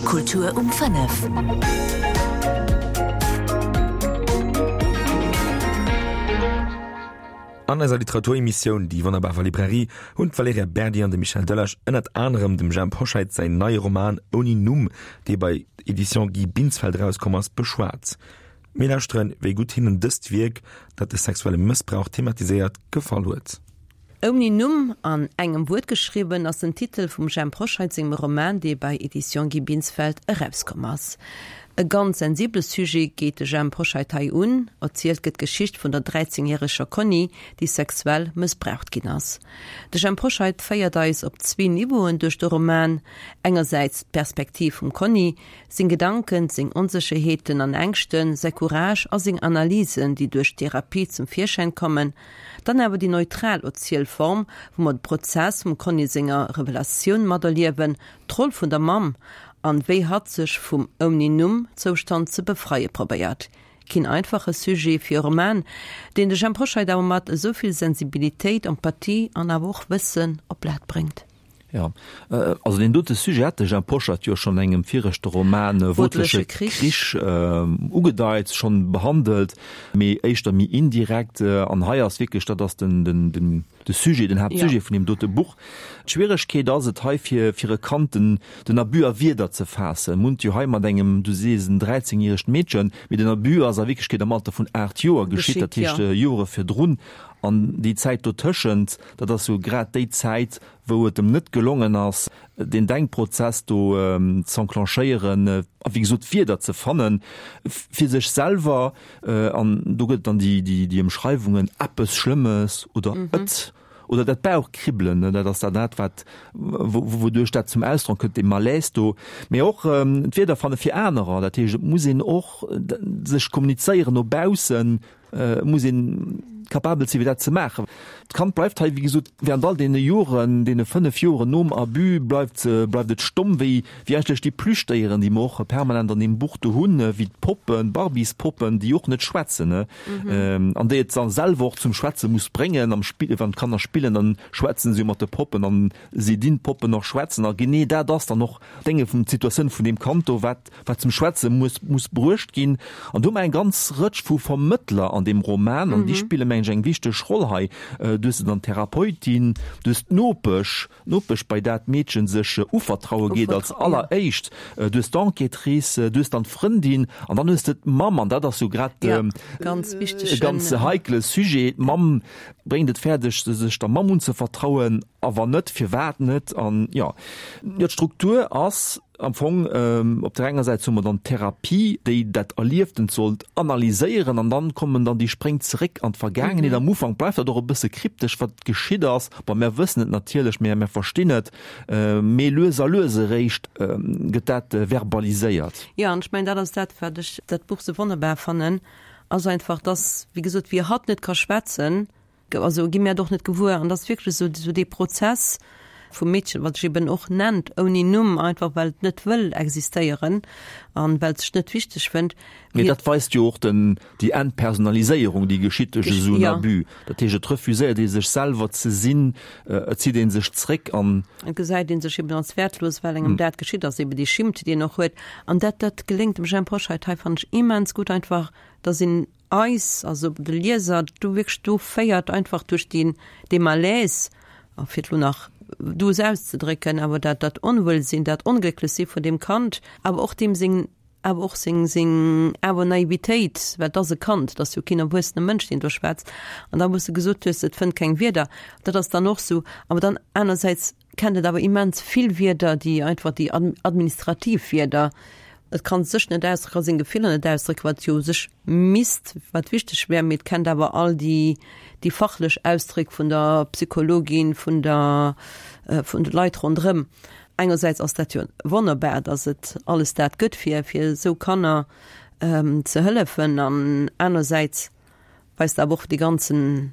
Kultur um 5. An eiser Literaturemissioun Déi wonnerbar Librairie hunn d'Valerija Berdi an de Michel Delage ënnert anerem dem Jhemp Hoscheit säin neie Roman Ouni Numm, dee bei Editions Guy Binsfeld erauskomm ass, beschwat. Mir lauschteren, wéi gutt hinnen dëst Wierk, dat de sexuelle Mëssbrauch thematiséiert, gefall huet. Ouni Numm, an engem Wuert geschriwwen, ass den Titel vum Jhemp Hoscheit sengem Roman, dee bei Editions Guy Binsfeld erauskomm ass. E ganz sensibele Sujet geet de Jhemp Hoscheit hei un. Erzielt gëtt d'Geschicht vun der 13 järeger Conny, déi sexuell mëssbraucht ginn ass. De Jhemp Hoscheit féiert eis op zwee Niveauen duerch de Roman, engersäits d'Perspektiv vum Conny, seng Gedanken, seng Onsécherheeten an Ängschten, säi Courage a seng Analysen, déi duerch d'Therapie zum Virschäin kommen, Dann awer déi neutral Erzielform, wou mer de Prozess vum Conny senger Revelatioun materliewen, d'Roll vun der Mamm an wéi hatt sech vum ouni Numm Zoustand ze befreie probéiert. Keen einfache Sujet fir e Roman, deen de Jhemp Hoscheit awer mat esou vill Sensibilitéit, Empathie an awer och Wëssen op d'Blat bréngt. Jo, also deen dote Sujet hat de Jean Poschert jo schonn engem viregte Roman Wotleche Krich ugedeit, schonn behandelt, mee éischter méi indirekt. An hei ass wierklech, dat ass den, den, den, de Sujet, den Haaptsujet vun deem dote Buch. D'Schwieregkeet ass et hei fir, fir e Kand den, den Abus a Wierder ze faassen. Mir hunn et jo hei mat engem, du sees en dräizengjäregt Meedchen, mee den Abus ass a Wierklechkeet am Alter vun 8 Joer geschitt, dat heescht Jore virdrun. An déi Zäit dotëschent, dat ass jo grad déi Zäit, wou et em net gelongen ass, deen Denkprozess do z'enclenchéieren a wéi gesot Wierder ze fannen, fir sech selwer, an do gëtt et dann déi Ëmschreiwungen, eppes Schlëmmes oder et oder dat Bauchkribbelen, dat ass dann dat, wat wouduerch dat zum Ausdrock kënnt, dee Malaise do, mee och d'Wierder fanne fir anerer. Dat heescht, et muss een och sech kommunizéieren no baussen, Et muss een capabel sinn, fir dat ze maachen. D'Kand bleift hei, wéi gesot, während all deene Joren, deene 5 Joren nom Abus, bleift, bleift et stomm, wéi, wéi eigentlech déi Plüschdéieren, déi mer och permanent an deem Buch do hunn, wéi d'Poppen, d'Barbiespoppen, déi och net schwätzen, an déi et da selwer och zum Schwätze muss bréngen. Am Spill, wann d'Kanner spillen, dann schwätzen se jo mat de Poppen an si dinn d'Poppen och schwätzen. A genee dat ass dann och d'Dénge vum, d'Situatioun vun deem Kand do, wat, wat zum Schwätze muss, muss bruecht ginn. An do hu mer eng ganz Rëtsch vu Vermëttler an deem Roman, an déi spille mengen ech eng wichteg Roll hei. Du hues dann d'Therapeutin, du hues d'Nopesch, d'Nopesch bei där d'Meedchen sech uvertraue geet als alleréischt, du hues d'Enquêtrice, du hues dann d'Frëndin an dann hues de d'Mamm, an dat ass jo grad e ganz wichtege, ganz heikle Sujet. D'Mamm bréngt et fäerdeg, sech der Mamm unzevertrauen, a wann net, firwat net? An jo, jo, d'Struktur ass Am Fong, op der enger Säit hu mer dann d'Therapie, déi dat Erlieftent sollt analyséieren, an dann kommen dann déi Spréng zeréck an d'Vergaangenheet. Am Ufank bleift dat och e bësse kryptesch, wat geschitt ass. Bon, mär wëssen et natierlech, mär, mär verstinn et, mee lues a lues eréischt gëtt dat verbaliséiert. Jo, an ech mengen, dat ass dat, wat ech dat Buch sou wonnerbar fannen, ass einfach, dass, wéi gesot, wéi hatt net ka schwätzen, Also gi mär et och net gewuer. An et ass wierklech esou, esou dee Prozess vum Meedchen, wat sech eben och nennt ouni Numm, einfach well et net wëll existéieren an well et sech net wichteg fënnt. Mee dat weist jo och den, déi Entpersonaliséierung, déi geschitt duerch esou en Abus. Dat heescht, et refuséiert ee sech selwer ze sinn, et zitt ee sech zréck an. Et gesäit ee sech eben als wäertlos, well engem dat geschitt ass, eben déi Schimmt, déi een och huet. An dat, dat geléngt dem Jhemp Hoscheit hei, fannen ech, immens gutt, einfach, dass een eis, also de Lieser, do wierklech do féiert, einfach duerch deen, dee Malaise, a fir et elo nach duuss auszedrécken, awer dat, dat Onwuelsinn, dat Onglécklechsi vun deem Kand, awer och deem seng, awer och seng, seng awer Naivitéit, well et ass e Kand, et ass jo keen erwuessene Mënsch, deen do schwätzt. An da, wou s de gesot hues, et fënnt keng Wierder, dat ass dann och sou. Awer dann anersäits kennt et awer immens vill Wierder, déi einfach déi administrativ Wierder, et kann sech net ausdrécken, ka seng Gefiller net ausdrécken, wat jo u sech misst, wat wichteg wär, mee et kennt awer all déi déi fachlech Ausdréck vun der Psychologin, vun der vun de Leit ronderëm. Engersäits ass dat jo wonnerbar, datt et alles dat gëtt fir fir esou Kanner ze hëllefen an anersäits weist awer och dee ganzen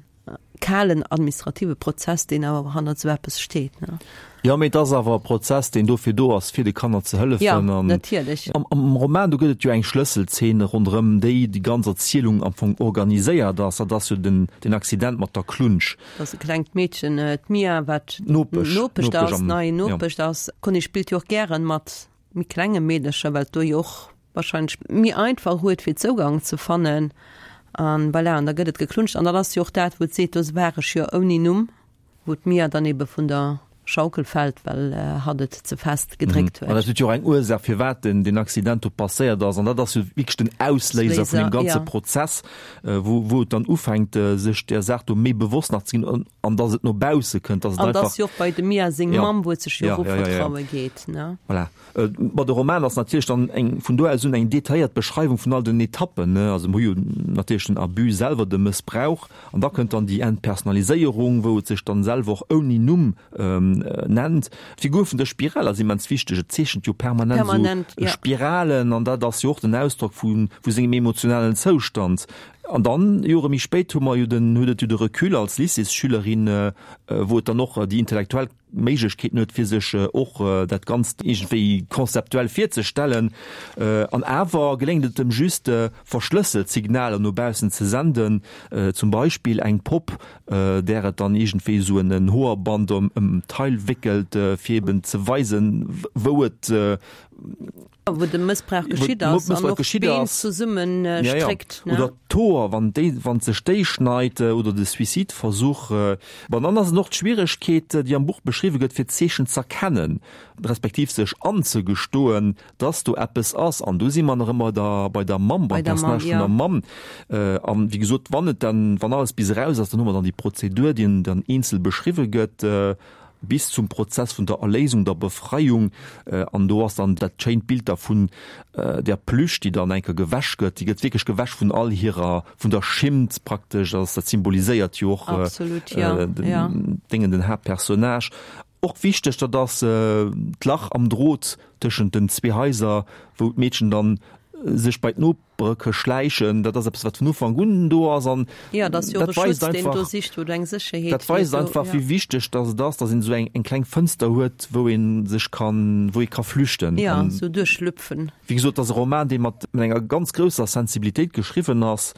kalen administrative Prozess, deen awer hannert esou eppes steet, ne? Jo, mee et ass awer e Prozess, deen dofir do ass, fir de Kanner ze hëllefen. Jo, natierlech. An am Roman, do gëtt et jo eng Schlësselzeen, ronderëm déi déi ganz Erzielung am Fong organiséiert ass. Dat ass jo den, den Accident mat der Klunsch. Dat ass e klengt Meedchen, d'Mia, wat d'Nopesch, Nopesch ass, nei Nopesch ass. D'Conny spillt jo och gären mat. méi klenge Meedercher, well et do jo och wahrscheinlech méi einfach huet fir Zougang ze fannen an voilà, an da gëtt et geklunscht an dat ass jo och dat wou et seet, do war ech jo ouni Numm, wou d'Mia dann ebe vun der Schaukel fält, well hatt et ze fest gedréckt huet. An dat huet jo och eng Ursaach firwat den deen Accident do passéiert ass an dat ass jo wierklech den Ausléiser vun deem ganze Prozess, wou wou et dann ufänkt sech där Saach do méi bewosst nach ze ginn an an datt et no bausse kënnt, datt et einfach. An dat ass jo och bei dem Mia seng Mamm, wou et sech jo och uvertraue geet, ne? Voilà. Bon, de Roman ass natierlech dann eng, vun do aus un eng detailléiert Beschreiwung vun all den Etappen, ne. Also mer hu jo natierlech den Abus selwer, de Mëssbrauch, an da kënnt dann déi Entpersonaliséierung, wou et sech dann selwer och ouni Numm nennt. D'Figur vun der Spiral ass immens wichteg, et zeechent jo permanent esou Spiralen, an dat ass jo och den Ausdrock vu vu sengem emotionalen Zoustand. An dann, Jore méi spéit, hu mer jo den, huet et jo de Recul als Lycéesschülerin, wou et dann och déi intellektuell Méiglechkeeten huet, fir sech och dat Ganzt iergendwéi konzeptuell virzestellen. An awer geléngt et em just, verschlësselt Signaler no baussen ze senden, zum Beispill eng Popp, där et dann iergendwéi esou en Hoerband ëm d'Teil wéckelt, fir eben ze weisen, wou et Wou de Mëssbrauch geschitt ass an och d'Been zesummen stréckt. Oder d'Hoer, wann déi, wann sech déi schneit, oder de Suicideversuch. Bon, dann ass et och d'Schwieregkeet, déi am Buch beschriwwe gëtt, fir d'Zeechen z'erkennen, respektiv sech anzegestoen, dass do eppes ass. An do si mer nach ëmmer da bei der Mamm, beim Personnage vun der Mamm. An wéi gesot, wann et dann, wann alles bis eraus ass, dann hu mer dann déi Prozedur, déi dann eenzel beschriwwe gëtt. bis zum Prozess vun der Erléisung, der Befreiung, an do ass dann dat schéint Bild da vun der Plüsch, déi dann eng Kéier gewäsch gëtt, déi gëtt wierklech gewäsch vun all hirer, vun der Schimmt praktesch, also dat symboliséiert jo och den Déngen, den Haaptpersonnage. Och wichteg, dat ass d'Lach am Drot tëschent den zwee Haiser, wou d'Meedchen dann sech bei d'Nop. Brëcke schläichen, dat ass eppes, wat vun Ufank un do ass an ja, dat dat weist einfach, do sicht, wou du eng Sécherheet dat weist einfach, wéi wichteg dass et ass, dass een esou eng eng kleng Fënster huet, wou ee sech kann, wou ee ka flüchten. Ja, esou duerchschlüpfen. Wéi gesot, et ass e Roman, dee mat enger ganz grousser Sensibilitéit geschriwwen ass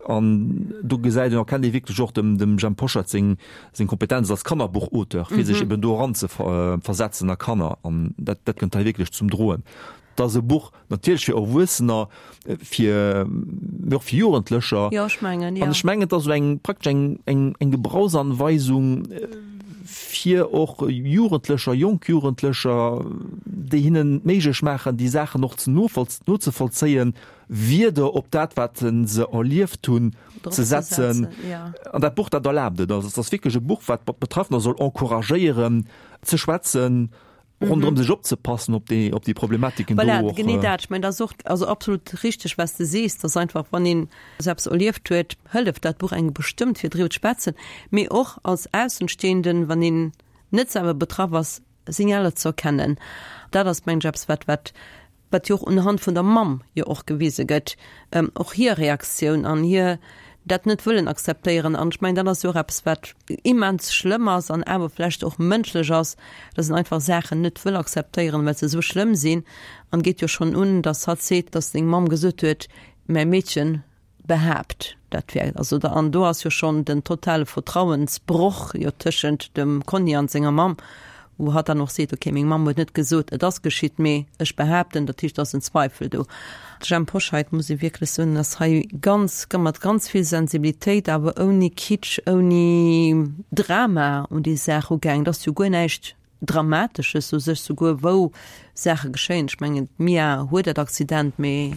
an do gesäit een, erkennt ee wierklech och dem dem Jhemp Poschert seng seng Kompetenz als Kannerbuchauteur, fir sech eben do eranzeversetzen a Kanner an dat dat kënnt hei wierklech zum Droen. Et ass e Buch natierlech fir Erwuessener, fir, mee och fir Jugendlecher. Jo, ech mengen, jo. An ech mengen, et ass esou eng, praktesch eng, eng, eng Gebrauchsanweisung fir och Jugendlecher, jonk Jugendlecher, déi hinnen et méiglech maachen, déi Saachen och ze nozevollzéien, Wierder op dat, wat se erlieft hunn, ze setzen. An dat Buch, dat erlaabt et. Also et ass wierklech e Buch, wat d'Betraffener soll encouragéieren, ze schwätzen, ronderëm sech opzepassen op déi op déi Problematiken do och. Genee dat, ech mengen dat ass och also absolut richteg wat s de sees, dass einfach wann een esou eppes erlieft huet, hëlleft dat Buch engem bestëmmt fir driwwer ze schwätzen, mee och als Aussenstehenden, wann een net selwer betraff ass, Signaler ze erkennen. Dat ass mengen ech eppes wat wat wat jo och unhand vun der Mamm jo och gewise gëtt, och hir Reaktioun an hir dat net wëllen akzeptéieren. An ech mengen, dat ass jo och eppes, wat immens schlëmm ass an awer vläicht och mënschlech ass, dass een einfach Saachen net wëll akzeptéieren, well se esou schlëmm sinn. An geet jo schonn un, dass hatt seet, dass seng Mamm gesot huet, Mäi Meedchen behaapt, dat wär also da, an do ass jo schonn den totale Vertrauensbroch jo tëschent dem Conny an senger Mamm, wou hatt dann och seet, okay, meng Mamm huet net gesot, et ass geschitt, mee ech behaapten, dat heescht, et ass en Zweifel do. De Jhemp Hoscheit, muss ee wierklech soen, ass hei ganz, mat ganz vill Sensibilitéit, awer ouni Kitsch, ouni Drama un déi Saach ugaang. Et ass jo guer näischt Dramatesches u sech, souguer wou Saache geschéien. Ech mengen, d'Mia huet dat Accident, mee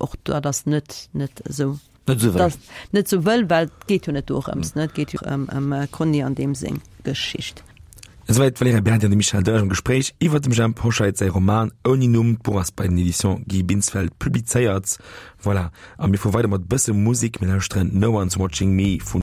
och dat ass net, net esou, Net esou wëll. Net esou wëll, well et geet jo net dorëms, ne? Et geet jo ëm, ëm d'Conny an deem seng Geschicht. Esouwäit d'Valerija Berdi an de Michel Delage am Gespréich iwwer dem Jhemp Hoscheit säi Roman Ouni Numm. D'Buch ass bei den Editions Guy Binsfeld publizéiert. Voilà, a mir fuere weider mat e bësse Musek. Mir lauschteren No One's Watching Me vun.